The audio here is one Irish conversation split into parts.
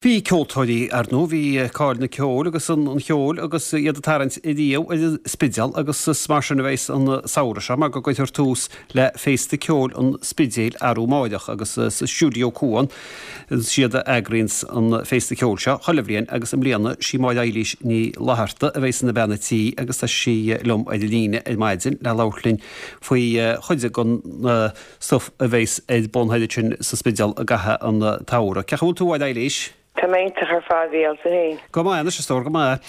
Bhí ceoltóirí, ar ndóigh, bhí cáil na ceoil agus an cheoil agus iad ag tarraingt ariamh ar an Spidéal agus is mar sin a bheas an samhradh seo mar go gcuirfear tús le Féasta Ceoil an Spidéil arú amáireach agus sa Stiúideo Cuan is iad a eagraíonns an Féasta Ceoil seo chuile bhliain agus i mbliana sí Máire Eilís Ní Fhlatharta a bheas ina bean a' tí agus tá sí liom ar an líne ar maidin le labhairt linn faoi chuid den stuif a bheas ar bun thoir ansin sa Spidéal i gcaitheamh an tsamhraidh. Cén chaoi a bhfuil tú, a Mháire Eilís? Tá mé iontach ar fad, a Mhícheáil, tú féin? Go maith anois, a stór, go maith.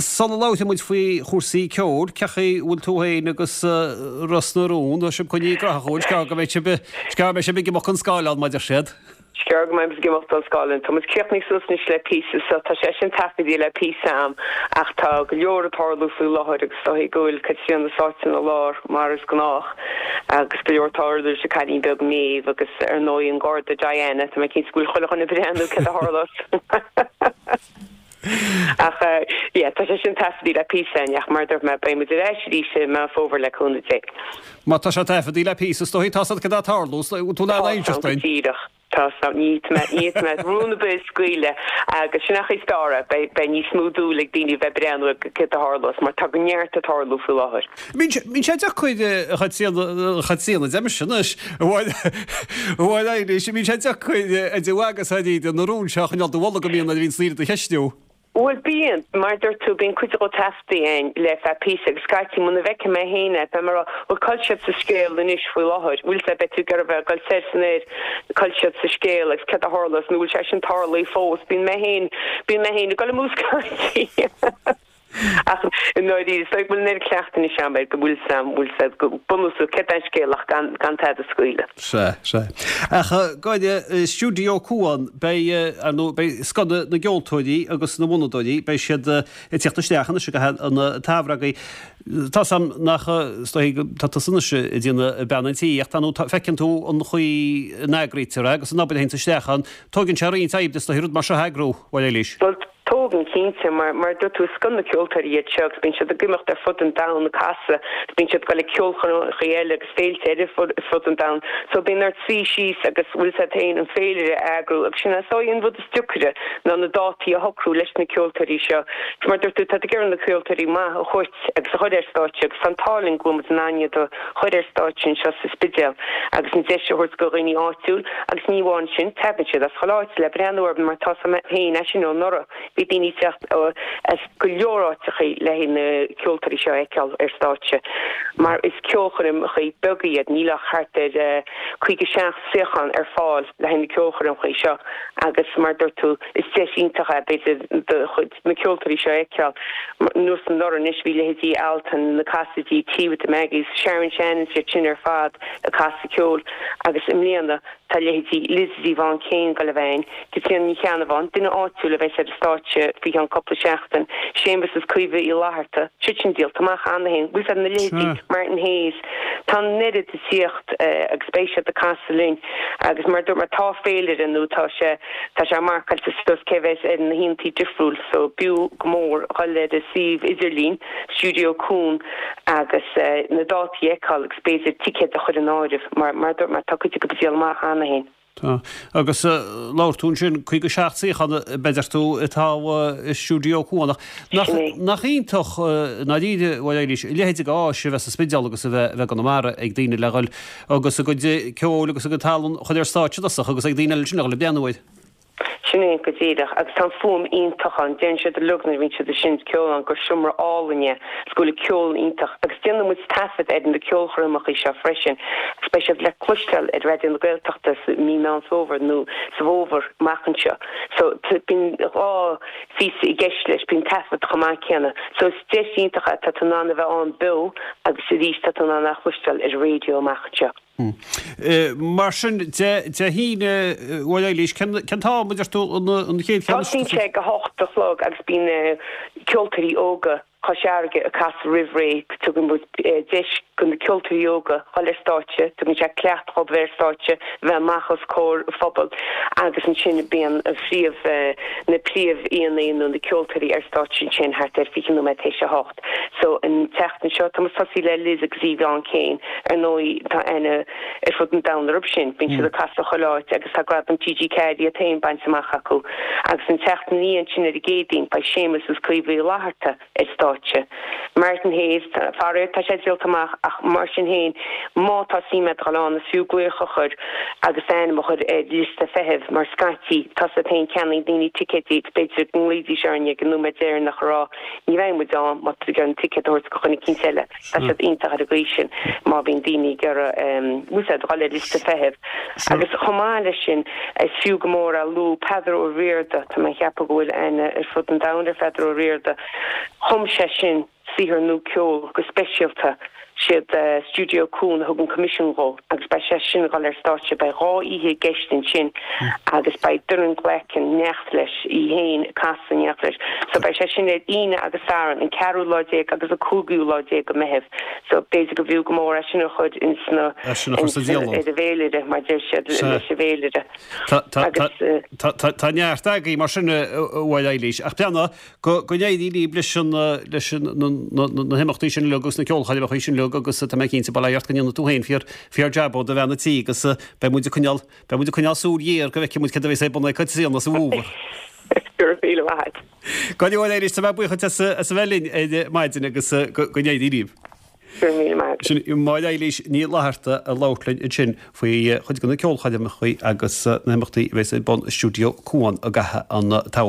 Sula labhróidh muid faoi chúrsaí ceoil, cén chaoi a bhfuil tú féin agus Ros na Rún, tá sibh coinnithe graitheach, an bhfuil? Is gearr go mbeidh sibh, is gearr go mbeidh sibh ag imeacht chun scáileán, mar a deir siad. Is gearr go mbeidh muid ag imeacht don scáileán. Tá muid críochnaithe suas anois le píosa so tá sé sin taifeadta le píosa am ach tá go leor ag tarlú faoi láthair agus is dóigh go bhfuil Caitríona sáite ina lár mar is gnách agus go leor ag tarlú leis an cailín beag Méabh agus ar ndóigh an Garda Diana, tá mé cinnte go bhfuil chuile dhuine ag breathnú céard a tharlós. Ach yeah tá sé sin taifeadta le píosa againn ach mar a dúirt mé beidh muid ar ais arís i Meán Fómhair le cúnamh Dé. Má tá sé taifeadta le píosa is dóigh tá 's agat céard atá ag tarlú, bhfuil tú in ann Tá inseacht go dúinn? díreach. Tá 's agam, ní fhéadfaidh mé, ní fhéadfaidh mé rún ar bith a scaoileadh agus sin an chaoi is fearr é, beidh, beidh níos mó dúil ag daoine a bheith ag breathnú ar céard a tharlós mar tá go neart ag tarlú faoi láthair. Mbíonn sé deacair, a Chaitríona, a Chaitríona, deirimse anois, a Mháire, a Mháire Eilís, mbíonn sé deacair a dheabhadh agus a iad na rúin seo a choinneáil i do bholg go mbíonn nuair a bhíonn daoine do cheistiú. Bhuel, bíonn. Mar a dúirt tú, bíonn cuid dhó taifeadtaí againn le feadh píosa agus scaití muna bhfeicfidh mé féin é, beidh mé ag rá, bhuel, cá bhfuil siad sa scéal anois faoi láthair? Bhfuil sé, beidh tú ag iarraidh a bheith ag dul soir is anoir, cá bhfuil siad sa scéal agus céard a tharlós nó bhfuil sé sin tarlaithe fós? Bíonn mé féin, bíonn mé féin ag dul amú scaití. Ach i ndáiríre, is dóigh go bhfuil an oiread cleachtaidh anois agam air go bhfuil 's a'm, bhfuil 's a'd, go bunúsach céard é an scéal ach gan, gan tada a scaoileadh. Sea, sea. Ach gáire, Stiúideo Cuan, beidh, ar ndóigh, beidh scoth na na gceoltóirí agus na bhfonnadóirí, beidh siad ag tíocht isteach anois i gcaitheamh an tsamhraidh agaibh. Tá 's a'm nach, is dóigh go, tá tusa anois ag déanamh bean an tí ach tá nó tá, feiceann tú an chaoi a n-eagraítear é agus an obair a théanns isteach ann, tóigeann sé roinnt oibre is dóigh rud mar seo a eagrú, a Mháire Eilís. Bhuel, Tógann, cinnte. Mar, mar a dúirt tú, is scoth na ceoltóirí iad seo agus bíonn siad ag imeacht ar fud an domhain ag casadh agus bíonn siad ag dul ag ceolchoirmeacha eile agus féilte eile ar fud an domhain. So bíonn ort suí síos agus, bhfuil 's a't féin, an féilire a eagrú agus sin é is dóigh an rud is deacaire ná na dátaí a shocrú leis na ceoltóirí seo. Agus mar a dúirt tú, tá tú ag iarraidh na ceoltóirí maith a thabhairt agus a chur ar stáitse agus tá an t-ádh linn go bhfuil muid in ann iad a chur ar stáitse anseo sa Spidéal agus an deis a thabhairt do dhaoine áitiúil agus ní amháin sin, tagann siad as chuile áit le breathnú orthu mar tá 's a'm féin é sin ó anuraidh, bhí daoine ag teacht as go leor áiteachaí le haghaidh na ceoltóirí seo a fheiceáil ar stáitse mar is ceolchoirmeachaí beaga iad, níl ach thart ar 57 suíochán ar fáil le haghaidh na ceolchoirmeachaí seo agus mar a dúirt tú, is deis iontach é b'fhéidir do chuid. na ceoltóirí seo a fheiceáil. Nós anuraidh anois bhí leithéidí Altan, na Cassidys, Tea with the Maggies, Sharon Shannon is iad sin ar fad ag casadh ceoil agus i mbliana tá leithéidí Lizzie Yvonne Kane ag dul a bheith ann, Caitríona Ní Cheannabháin, duine áitiúil a bheas ar an stáitse faoi cheann cúpla seachtain, Séamus is Caoimhe Uí Fhlatharta, siad sin díolta amach cheana féin, bhfuil 's a'd na leithéidí Martin Hayes, tá an oiread ag tíocht agus beidh siad ag casadh linn agus mar a dúirt mé tá féilire nó tá sé Tá sé marcáilte suas cé bheas ar na hoícheantaí difriúil so b'fhiú go mór dhul ar an suíomh idirlín, Stiúideo Cuan, agus na dátaí a fheiceáil agus b'fhéidir ticéad a chur in áireamh mar, mar a dúirt mé, tá cuid acu ag díol amach cheana féin. Tá. Agus labhair tú ansin, 57 suíochán a deir tú atá i Stiúideo Cuan ach nach, nach iontach i ndáiríre, a Mháire Eilís, a leithéid de áis a bheith sa Spidéal agus a bheith, a bheith i gConamara ag daoine le dhul agus a gcuid ceoil agus a gcuid tallann a chur ar stáitse i dtosach agus ag daoine eile ansin a dhul ag breathnú air. Sin é go díreach. Agus tá an fuaim iontach ann. Deireann siad uilig nuair a bhíonn siad ag seinnt ceoil ann gur seomra álainn é agus go bhfuil an ceol iontach. Agus déanann muid taifead ar na ceolchoirmeacha seo freisin agus beidh siad le cloisteáil ar Raidió na Gaeltachta sa mí Meán Fómhair nó sa bhfómhar amach anseo. So bíonn 2 phíosa i gceist leis, bíonn taifead chomh maith céanna. So is deis iontach é, tá tú in ann a bheith ann beo agus arís tá tú in ann é a chloisteáil ar an raidió amach anseo. Mar sin de, Dé hAoine, a Mháire Eilís, cén t-am a deir tú an chéad cheann? Tosaíonn sé ag a hocht a chlog agus bíonn ceoltóirí óga. Chois Fharraige ag casadh roimh ré, tugann muid deis do na ceoltóirí óga dhul ar stáitse, tugann sé cleachtadh dhóibh bheith ar stáitse, bheith amach os comhair an phobail agus ansin bíonn an phríomh, na príomh-aíonna nó na ceoltóirí ar stáitse ansin thart ar 20 nóiméad théis a hocht. So an tseachtain seo tá muid ag tosaí le Liz agus Yvonne Kane. Ar ndóigh tá aithne ar fud an domhain orthu sin, bíonn siad ag casadh chuile áit agus tá gradam TG4 iad féin bainte amach acu. Agus an tseachtain ina dhiaidh sin ar an gCéadaoin beidh Séamus agus Caoimhe Uí Fhlatharta ar stáitse. Martin Hayes, faraor tá sé díolta amach ach mar sin féin má tá suim agat dul ann is fiú glaoch a chur agus d'ainm a chur ar liosta feithimh mar scaití tá 's agat féin ceannaíonn daoine ticéidí agus b'fhéidir go nglaoidís orainn ag an nóiméad deireanach a rá Ní bheidh muid ann má tá tú ag iarraidh an ticéad a thabhairt do dhuine eicínt eile. Tá siad iontach ar an gcaoi sin má bhíonn daoine ag iarraidh úsáid dhul ar liosta feithimh. Agus chomh maith leis sin, is fiú go mór a lua Peadar Ó Riada, tá mé ag ceapadh go bhfuil aithne ar fud an domhain ar Pheadar Ó Riada, chum sé sin saothar nua ceoil go speisialta. Siad Stiúideo Cuan a thug an coimisiún dhó agus beidh sé sin ag dul ar stáitse. Beidh 2 oíche i gceist ansin agus beidh Doireann Glackin in éineacht leis, í féin ag casadh in éineacht leis. So beidh sé sin ar Aoine agus Satharn, an ceathrú lá déag agus an cúigiú lá déag de Mheitheamh. So b'fhéidir go bhfiú go mór é sin a chur ins na, É sin a chur sa dialann. ar an bhféilire, mar deir siad, leis an bhféilire. Agus. Tá neart agaibh mar sin a Mháire Eilís. Ach breathnaigh, Go n-éirí libh leis leis na himeachtaí sin uilig agus na ceolchoirmeacha sin uilig agus tá mé cinnte, bail ó Dhia ort go ndéanfaidh tú féin fíor fíor jab ó do bhean a' tí agus beidh muid ag coinneáil beidh muid ag coinneáil súil ghéar go bhfeicfidh muid céard a bheas ar bun ag Caitríona sa bhfómhar. Go raibh míle maith agat. Go leor arís, tá mé buíoch duit as a bheith linn ar maidin agus go n-éirí libh. Go raibh míle maith agat. Sin Máire Eilís Ní Fhlatharta ag labhairt linn ansin faoi chuid de na ceolchoirmeacha agus na himeachtaí a bheas ar bun i Stiúideo Cuan i gcaitheamh an tsamhraidh.